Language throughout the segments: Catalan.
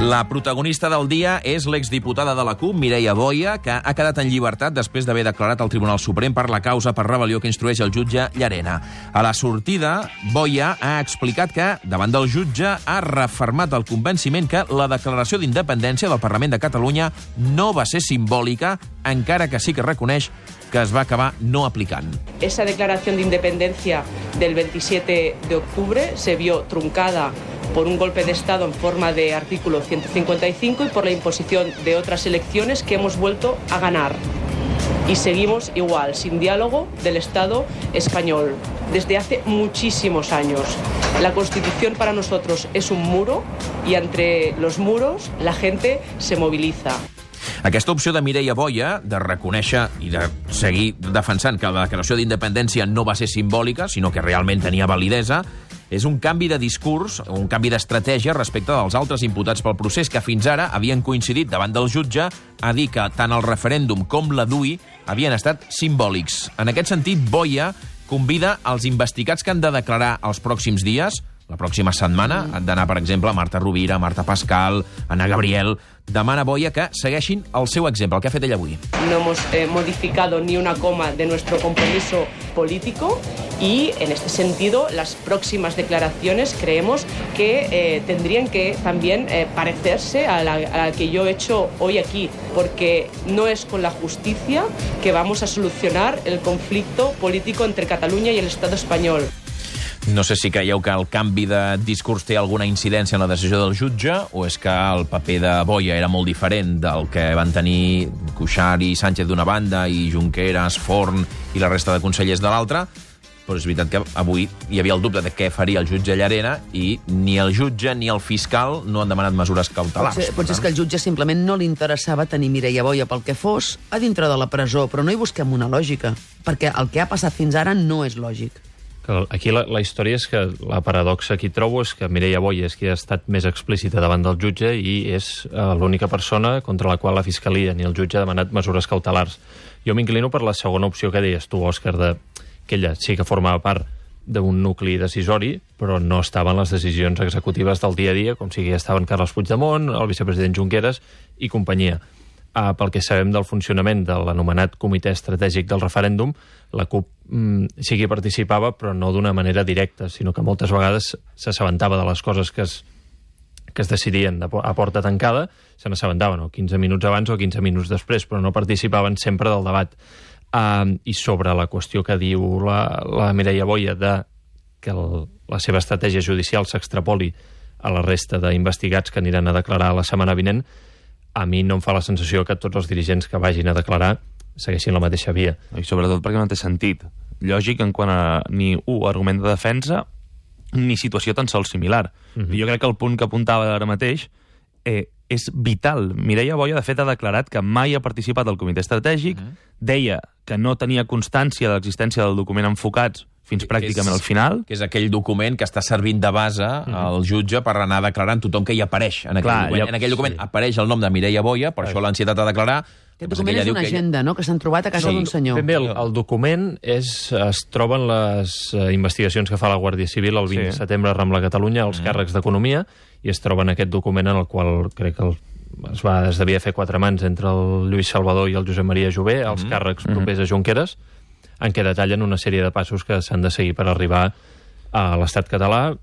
La protagonista del dia és l'exdiputada de la CUP, Mireia Boya, que ha quedat en llibertat després d'haver declarat al Tribunal Suprem per la causa per rebel·lió que instrueix el jutge Llarena. A la sortida, Boya ha explicat que, davant del jutge, ha refermat el convenciment que la declaració d'independència del Parlament de Catalunya no va ser simbòlica, encara que sí que reconeix que es va acabar no aplicant. Esa declaración de independencia del 27 de octubre se vio truncada por un golpe de Estado en forma de artículo 155 y por la imposición de otras elecciones que hemos vuelto a ganar. Y seguimos igual, sin diálogo del Estado español, desde hace muchísimos años. La Constitución para nosotros es un muro y entre los muros la gente se moviliza. Aquesta opció de Mireia Boya de reconèixer i de seguir defensant que la declaració d'independència no va ser simbòlica, sinó que realment tenia validesa, és un canvi de discurs, un canvi d'estratègia respecte dels altres imputats pel procés que fins ara havien coincidit davant del jutge a dir que tant el referèndum com la DUI havien estat simbòlics. En aquest sentit, Boya convida als investigats que han de declarar els pròxims dies, la pròxima setmana, han d'anar, per exemple, Marta Rovira, Marta Pascal, Ana Gabriel. Demana Boya que segueixin el seu exemple, el que ha fet ella avui. No hemos modificado ni una coma de nuestro compromiso político y, en este sentido, las próximas declaraciones creemos que tendrían que también parecerse a la que yo he hecho hoy aquí, porque no es con la justicia que vamos a solucionar el conflicto político entre Cataluña y el Estado español. No sé si creieu que el canvi de discurs té alguna incidència en la decisió del jutge o és que el paper de Boya era molt diferent del que van tenir Cuixart i Sánchez d'una banda i Junqueras, Forn i la resta de consellers de l'altra, però és veritat que avui hi havia el dubte de què faria el jutge Llarena i ni el jutge ni el fiscal no han demanat mesures cautelars. Potser és que al jutge simplement no li interessava tenir Mireia Boya pel que fos a dintre de la presó, però no hi busquem una lògica, perquè el que ha passat fins ara no és lògic. Aquí la història és que la paradoxa que hi trobo és que Mireia Boya és qui ha estat més explícita davant del jutge i és l'única persona contra la qual la Fiscalia ni el jutge ha demanat mesures cautelars. Jo m'inclino per la segona opció que deies tu, Òscar, que ella sí que formava part d'un nucli decisori, però no estava en les decisions executives del dia a dia, com si hi estaven Carles Puigdemont, el vicepresident Junqueras i companyia. Pel que sabem del funcionament de l'anomenat Comitè Estratègic del Referèndum, la CUP sí que participava, però no d'una manera directa, sinó que moltes vegades s'assabentava de les coses que es decidien a porta tancada, se n'assabentaven 15 minuts abans o 15 minuts després, però no participaven sempre del debat. I sobre la qüestió que diu la Mireia Boya de que la seva estratègia judicial s'extrapoli a la resta d'investigats que aniran a declarar la setmana vinent, a mi no em fa la sensació que tots els dirigents que vagin a declarar segueixin la mateixa via. I sobretot perquè no té sentit lògic en quant a ni argument de defensa ni situació tan sols similar. Jo crec que el punt que apuntava ara mateix és vital. Mireia Boya, de fet, ha declarat que mai ha participat al comitè estratègic, deia que no tenia constància de l'existència del document Enfocats fins pràcticament al final. Que és aquell document que està servint de base al jutge per anar declarant tothom que hi apareix en aquell document. En aquell document apareix el nom de Mireia Boya, per això l'ansietat a declarar. Aquest document és una agenda, no?, que s'han trobat a casa d'un senyor. Ben bé, el document es troba en les investigacions que fa la Guàrdia Civil el 20 de setembre a Rambla Catalunya, als càrrecs d'Economia, i es troba en aquest document en el qual crec que es devia fer 4 mans entre el Lluís Salvador i el Josep Maria Jové, els càrrecs propers a Junqueras, en què detallen una sèrie de passos que s'han de seguir per arribar a l'estat català.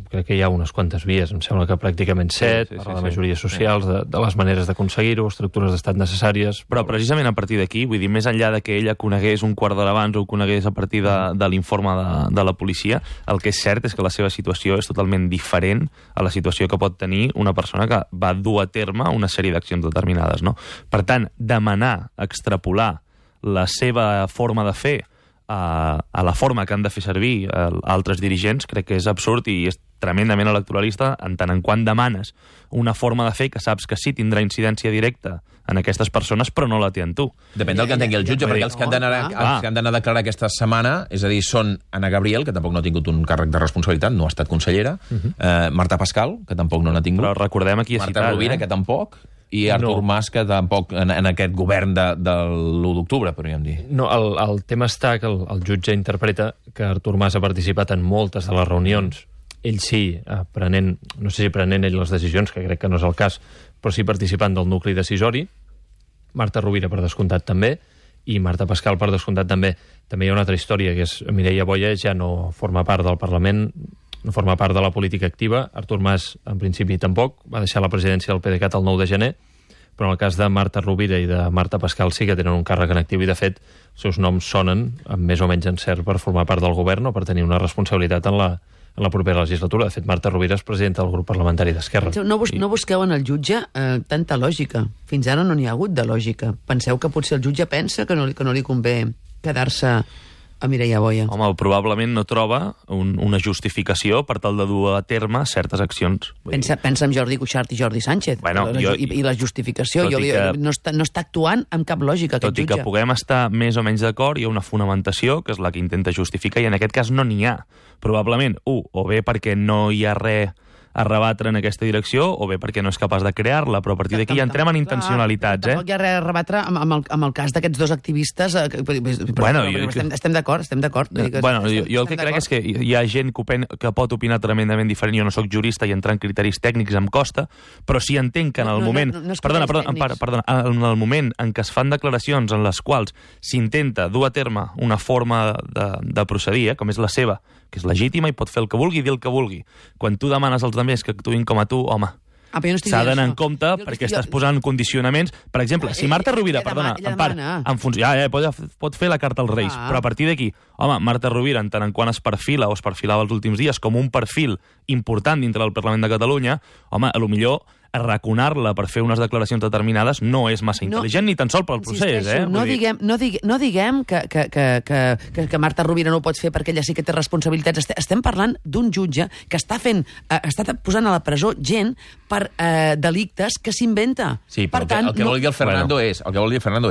Crec que hi ha unes quantes vies, em sembla que pràcticament 7, per la majoria socials, de les maneres d'aconseguir-ho, estructures d'estat necessàries. Però precisament a partir d'aquí, vull dir, més enllà de que ella conegués un quart d'hora abans o conegués a partir de l'informe de la policia, el que és cert és que la seva situació és totalment diferent a la situació que pot tenir una persona que va dur a terme una sèrie d'accions determinades, no? Per tant, demanar, extrapolar la seva forma de fer a la forma que han de fer servir altres dirigents, crec que és absurd i és tremendament electoralista en tant en quant demanes una forma de fer que saps que sí tindrà incidència directa en aquestes persones, però no la té en tu. Depèn del que entengui el jutge, perquè els que han d'anar a declarar aquesta setmana, és a dir, són Ana Gabriel, que tampoc no ha tingut un càrrec de responsabilitat, no ha estat consellera, Marta Pascal, que tampoc no n'ha tingut, però recordem aquí Marta Rovira, que tampoc, i Artur Mas, que tampoc en aquest govern de l'1 d'octubre, podríem dir. No, el tema està que el jutge interpreta que Artur Mas ha participat en moltes de les reunions ell sí, prenent, no sé si prenent ell les decisions, que crec que no és el cas, però sí participant del nucli decisori, Marta Rovira per descomptat també, i Marta Pascal per descomptat també. També hi ha una altra història, que és Mireia Boya ja no forma part del Parlament, no forma part de la política activa, Artur Mas en principi tampoc, va deixar la presidència del PDeCAT el 9 de gener, però en el cas de Marta Rovira i de Marta Pascal sí que tenen un càrrec en actiu i, de fet, els seus noms sonen amb més o menys encert per formar part del govern o per tenir una responsabilitat en la propera legislatura. De fet, Marta Rovira és presidenta del grup parlamentari d'Esquerra. No busqueu en el jutge tanta lògica. Fins ara no n'hi ha hagut de lògica. Penseu que potser el jutge pensa que no li convé quedar-se a Mireia Boya. Home, probablement no troba una justificació per tal de dur a terme certes accions. Pensa en Jordi Cuixart i Jordi Sánchez. Bueno, i la justificació. No està actuant amb cap lògica, aquest jutge. Tot i que puguem estar més o menys d'acord, hi ha una fonamentació, que és la que intenta justificar, i en aquest cas no n'hi ha. Probablement, o bé perquè no hi ha res a rebatre en aquesta direcció, o bé perquè no és capaç de crear-la, però a partir d'aquí ja entrem en intencionalitats. Tampoc hi ha res a rebatre amb el cas d'aquests dos activistes. Estem d'acord. Bueno, jo el que crec és que hi ha gent que pot opinar tremendament diferent. Jo no sóc jurista i entrar en criteris tècnics em costa, però sí entenc que en el moment... Perdona, en el moment en què es fan declaracions en les quals s'intenta dur a terme una forma de procedir, com és la seva, que és legítima i pot fer el que vulgui i dir el que vulgui. Quan tu demanes als altres que actuïn com a tu, home, s'ha d'anar en compte perquè estàs posant condicionaments. Per exemple, si Marta Rovira, pot fer la carta als Reis, però a partir d'aquí, home, Marta Rovira, en tant en quant es perfila o es perfilava els últims dies com un perfil important dintre del Parlament de Catalunya, home, a lo millor arraconar-la per fer unes declaracions determinades no és massa intel·ligent, ni tan sol pel procés. No diguem que Marta Rovira no ho pot fer perquè ella sí que té responsabilitats. Estem parlant d'un jutge que està posant a la presó gent per delictes que s'inventa. Sí, però el que vol dir el Fernando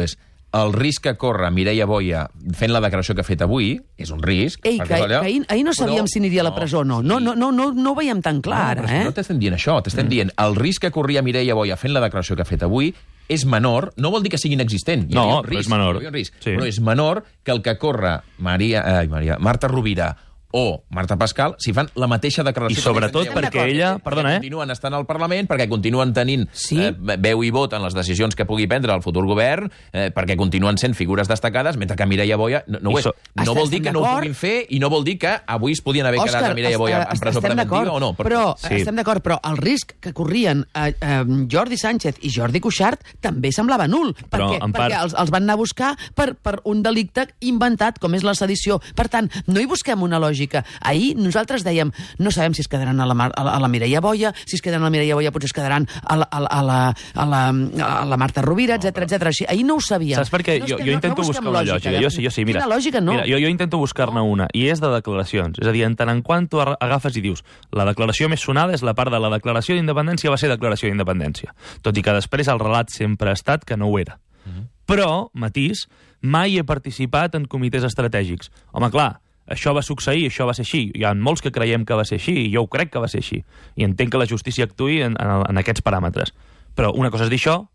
és el risc que corre Mireia Boya fent la declaració que ha fet avui és un risc. Ahir no sabíem si aniria a la presó o no. No ho veiem tan clar, No t'estem dient això, t'estem dient el risc que corria Mireia Boya fent la declaració que ha fet avui és menor, no vol dir que sigui inexistent. No, però és menor. Però és menor que el que corre Marta Rovira o Marta Pascal, si fan la mateixa declaració... I sobretot perquè ella... Perdona, continuen estant al Parlament, perquè continuen tenint veu i vot en les decisions que pugui prendre el futur govern, perquè continuen sent figures destacades, mentre que Mireia Boya no ho és. No vol dir que no ho puguin fer i no vol dir que avui es podien haver quedat a Mireia Boya en presó preventiva o no. Estem d'acord, però el risc que corrien Jordi Sánchez i Jordi Cuixart també semblava nul, perquè els van anar a buscar per un delicte inventat, com és la sedició. Per tant, no hi busquem una lògica. Ahir nosaltres dèiem, no sabem si es quedaran a la Mireia Boya, si es quedaran a la Mireia Boya potser es quedaran a la Marta Rovira, etc. Ahir no ho sabíem. Saps per què? Jo intento buscar una lògica. Jo sí, mira. Quina lògica, no? Mira, jo intento buscar-ne una, i és de declaracions. És a dir, en tant en quant tu agafes i dius la declaració més sonada és la part de la declaració d'independència va ser declaració d'independència. Tot i que després el relat sempre ha estat que no ho era. Però, matís, mai he participat en comitès estratègics. Home, clar, això va succeir, això va ser així. Hi ha molts que creiem que va ser així, i jo ho crec que va ser així. I entenc que la justícia actuï en aquests paràmetres. Però una cosa és dir això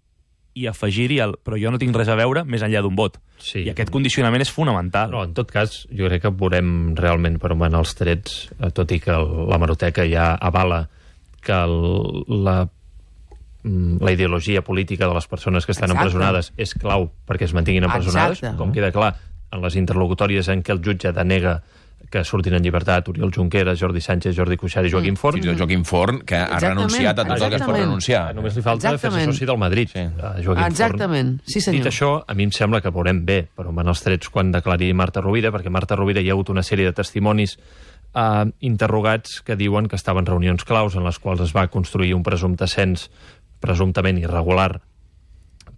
i afegir-hi però jo no tinc res a veure més enllà d'un vot. Sí. I aquest condicionament és fonamental. Però, en tot cas, jo crec que veurem realment per on van els trets, tot i que l'hemeroteca ja avala que la ideologia política de les persones que estan empresonades és clau perquè es mantinguin empresonades, com queda clar en les interlocutòries en què el jutge denega que surtin en llibertat Oriol Junqueras, Jordi Sánchez, Jordi Cuixart i Joaquim Forn. Joaquim Forn, que ha renunciat a tot el que es pot renunciar. Només li falta fer-se soci del Madrid. Exactament, sí senyor. Dit això, a mi em sembla que veurem bé per on van els trets quan declari Marta Rovira, perquè Marta Rovira hi ha hagut una sèrie de testimonis interrogats que diuen que estaven reunions claus en les quals es va construir un presumpte cens presumptament irregular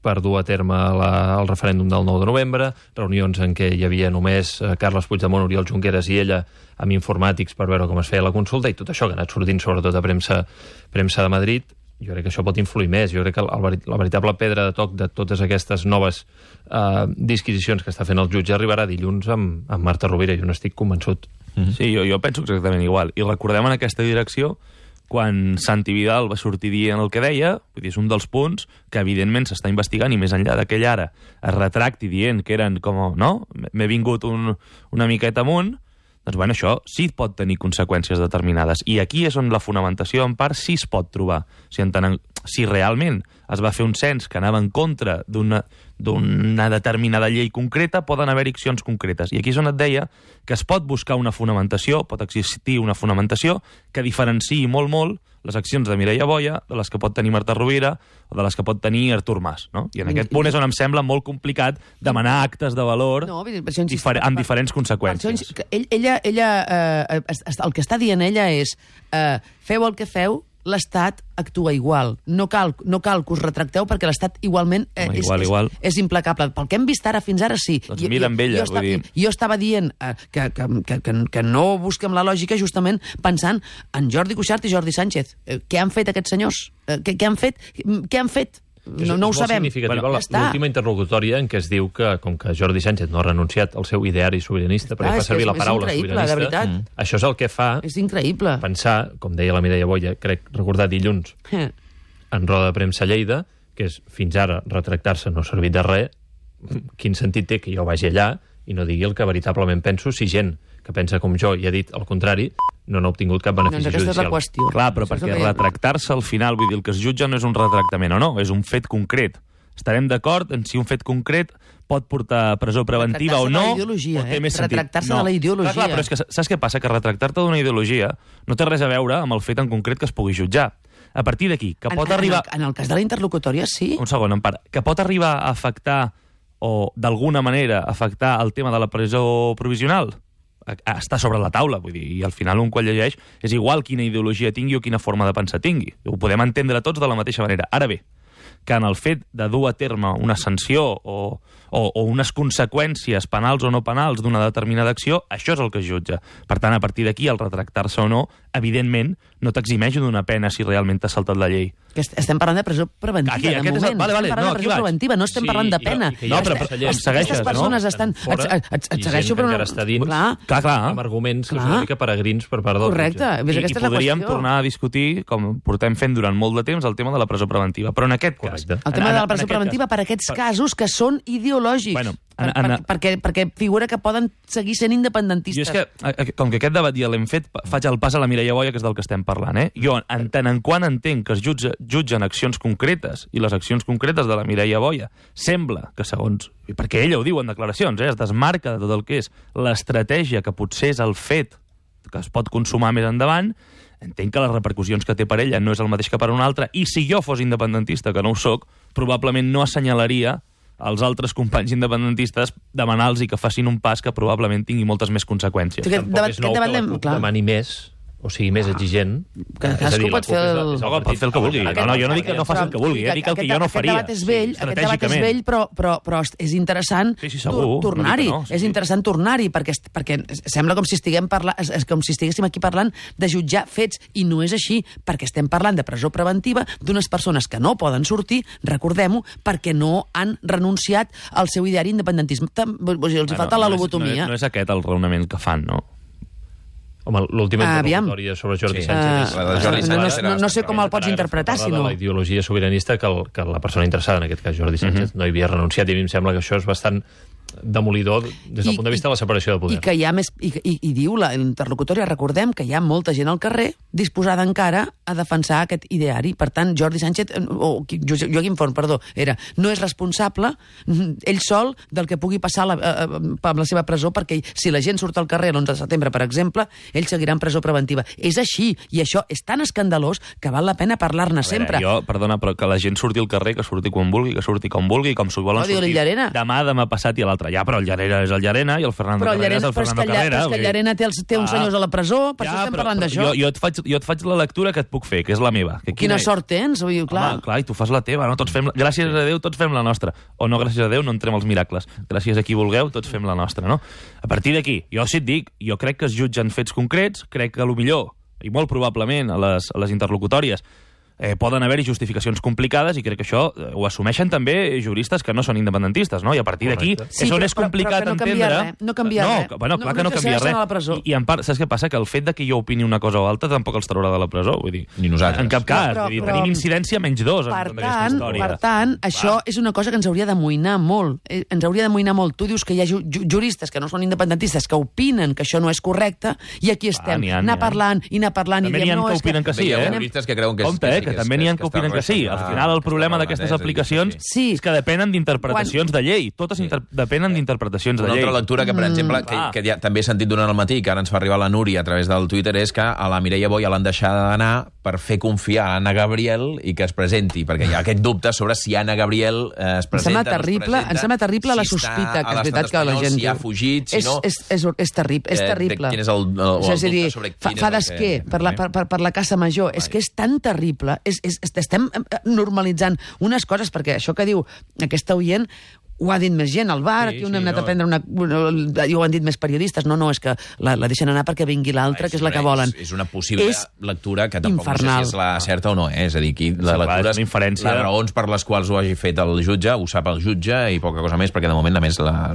per dur a terme el referèndum del 9 de novembre, reunions en què hi havia només Carles Puigdemont, Oriol Junqueras i ella amb informàtics per veure com es feia la consulta, i tot això que ha anat sortint sobretot a premsa de Madrid. Jo crec que això pot influir més. Jo crec que la veritable pedra de toc de totes aquestes noves disquisicions que està fent el jutge arribarà dilluns amb Marta Rovira. Jo no estic convençut. Sí, jo penso exactament igual. I recordem en aquesta direcció quan Santi Vidal va sortir dient el que deia, vull dir, és un dels punts que evidentment s'està investigant, i més enllà d'aquell ara es retracti dient que eren com, no? M'he vingut una miqueta amunt, doncs bueno, això sí pot tenir conseqüències determinades. I aquí és on la fonamentació, en part, sí es pot trobar. Si realment es va fer un cens que anava en contra d'una determinada llei concreta, poden haver accions concretes. I aquí és on et deia que es pot buscar una fonamentació, pot existir una fonamentació que diferenciï molt les accions de Mireia Boya de les que pot tenir Marta Rovira o de les que pot tenir Artur Mas. No? I en aquest punt és on em sembla molt complicat demanar actes de valor amb diferents conseqüències. Ella, el que està dient ella és feu el que feu, l'Estat actua igual. No cal que us retracteu perquè l'Estat igualment és implacable. Pel que hem vist ara, fins ara sí. Doncs mira amb ella, vull dir. Jo estava dient que no busquem la lògica justament pensant en Jordi Cuixart i Jordi Sánchez. Què han fet aquests senyors? Què han fet? No ho sabem. És molt significativa l'última interlocutòria en què es diu que, com que Jordi Sánchez no ha renunciat al seu ideari sobiranista, perquè fa servir la paraula sobiranista, això és el que fa pensar, com deia la Mireia Boya, crec recordar dilluns, en roda de premsa a Lleida, que és fins ara retractar-se no ha servit de res, quin sentit té que jo vagi allà i no digui el que veritablement penso si gent que pensa com jo i ha dit el contrari no n'ha obtingut cap benefici judicial. Aquesta és la qüestió. Clar, però perquè retractar-se al final, vull dir, el que es jutja no és un retractament o no, és un fet concret. Estarem d'acord en si un fet concret pot portar a presó preventiva o no. Retractar-se de la ideologia. Clar, però és que saps què passa? Que retractar-te d'una ideologia no té res a veure amb el fet en concret que es pugui jutjar. A partir d'aquí, que pot arribar... En el cas de la interlocutòria, sí. Un segon, en part. Que pot arribar a afectar o, d'alguna manera, afectar el tema de la presó provisional? Està sobre la taula, vull dir, i al final un quan llegeix és igual quina ideologia tingui o quina forma de pensar tingui. Ho podem entendre tots de la mateixa manera. Ara bé, que en el fet de dur a terme una sanció o unes conseqüències penals o no penals d'una determinada acció, això és el que es jutja. Per tant, a partir d'aquí, el retractar-se o no, evidentment, no t'eximeix d'una pena si realment t'has saltat la llei. Estem parlant de presó preventiva, de moment. Estem parlant de presó preventiva, no estem parlant de pena. No, però em segueixes, no? Aquestes persones estan... Et segueixo, però... encara està dins, amb arguments que són una mica peregrins per part del jutge. Correcte. I podríem tornar a discutir, com portem fent durant molt de temps, el tema de la presó preventiva. Però en aquest cas... El tema de la presó preventiva per aquests casos que són ideològics. Bueno, perquè figura que poden seguir sent independentistes. Jo és que, com que aquest debat ja l'hem fet, faig el pas a la Mireia Boya, que és del que estem parlant. Jo, en tant en quant entenc que es jutgen accions concretes, i les accions concretes de la Mireia Boya sembla que, segons... Perquè ella ho diu en declaracions, es desmarca de tot el que és l'estratègia que potser és el fet que es pot consumar més endavant, entenc que les repercussions que té per ella no és el mateix que per una altra, i si jo fos independentista, que no ho soc, probablement no assenyalaria als altres companys independentistes demanar-los que facin un pas que probablement tingui moltes més conseqüències. Tampoc és nou que la CUP demani més, o sigui, més exigent. Cadascú pot fer el que vulgui. No, jo no dic que no faci el que vulgui, dic el que jo no faria. Aquest debat és vell, però és interessant tornar-hi. És interessant tornar-hi, perquè sembla com si estiguéssim aquí parlant de jutjar fets, i no és així, perquè estem parlant de presó preventiva d'unes persones que no poden sortir, recordem-ho, perquè no han renunciat al seu ideari independentisme. Els falta la lobotomia. No és aquest el raonament que fan, no? Home, l'última interlocutòria sobre Jordi Sánchez... No sé com el pots interpretar, si no... La ideologia sobiranista que la persona interessada, en aquest cas Jordi Sánchez, no hi havia renunciat, i a mi em sembla que això és bastant demolidor des del punt de vista de la separació de poder. I que hi ha més... I diu l'interlocutòria, recordem que hi ha molta gent al carrer disposada encara a defensar aquest ideari. Per tant, Jordi Sánchez, o Joaquim Forn, perdó, no és responsable ell sol del que pugui passar amb la seva presó, perquè si la gent surt al carrer l'11 de setembre, per exemple, ell seguirà en presó preventiva. És així, i això és tan escandalós que val la pena parlar-ne sempre. Perdona, però que la gent surti al carrer, que surti quan vulgui, que surti com vulgui, com s'ho volen sortir demà passat i l'altre. Ja, però el Llarena és el Llarena i el Fernando Carrera és el Fernando Carrera. Però és que el Llarena té uns senyors a la presó, per això estem parlant d'això. Jo et faig la lectura que et puc fer, que és la meva. Quina sort tens, clar. Home, clar, i tu fas la teva, no? Gràcies a Déu, tots fem la nostra. O no, gràcies a Déu, no entrem als miracles. Gràcies a qui vulgueu, tots fem la nostra, no? A partir d'aquí, jo sí et dic, jo crec que es jutgen fets concrets, crec que millor, i molt probablement a les interlocutòries, poden haver-hi justificacions complicades i crec que això ho assumeixen també juristes que no són independentistes, no? I a partir d'aquí és on és complicat entendre... No canvia res. Bueno, clar que no canvia res. I en part, saps què passa? Que el fet de que jo opini una cosa o altra tampoc els traurà de la presó. Vull dir, ni nosaltres. En cap cas. Tenim incidència menys 2 en aquesta història. Per tant, això és una cosa que ens hauria d'amoïnar molt. Ens hauria d'amoïnar molt. Tu dius que hi ha juristes que no són independentistes que opinen que això no és correcte i aquí estem, anar parlant i anar parlant. També n'hi ha que opinen que sí, Hi ha juristes que creuen que que també n'hi ha que opinen que sí. Al final el problema d'aquestes aplicacions és que depenen d'interpretacions de llei. Totes depenen d'interpretacions de llei. Una altra lectura que, per exemple, que ja també he sentit durant el matí, que ara ens fa arribar la Núria a través del Twitter, és que a la Mireia Boia l'han deixat d'anar per fer confiar a Anna Gabriel i que es presenti, perquè hi ha aquest dubte sobre si Anna Gabriel es presenta, Em sembla terrible la sospita, que és veritat que la gent si ha fugit, si no... És terrible. Quin és el dubte sobre quin fa d'esquer per la Casa Major. És que és tan terrible. Estem normalitzant unes coses, perquè això que diu aquesta oient ho ha dit més gent al bar, aquí on hem anat a prendre i ho han dit més periodistes. No, és que la deixen anar perquè vingui l'altra, que és la que volen. És una possible lectura que tampoc no sé si és la certa o no, és a dir, aquí la lectura és les raons per les quals ho hagi fet el jutge, ho sap el jutge i poca cosa més, perquè de moment, a més, la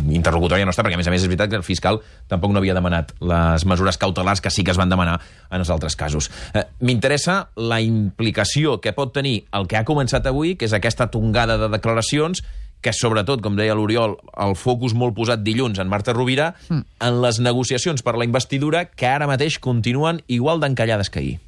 interlocutòria no està, perquè a més és veritat que el fiscal tampoc no havia demanat les mesures cautelars que sí que es van demanar en els altres casos. M'interessa la implicació que pot tenir el que ha començat avui, que és aquesta tongada de declaracions, que sobretot, com deia l'Oriol, el focus molt posat dilluns en Marta Rovira, en les negociacions per la investidura que ara mateix continuen igual d'encallades que ahir.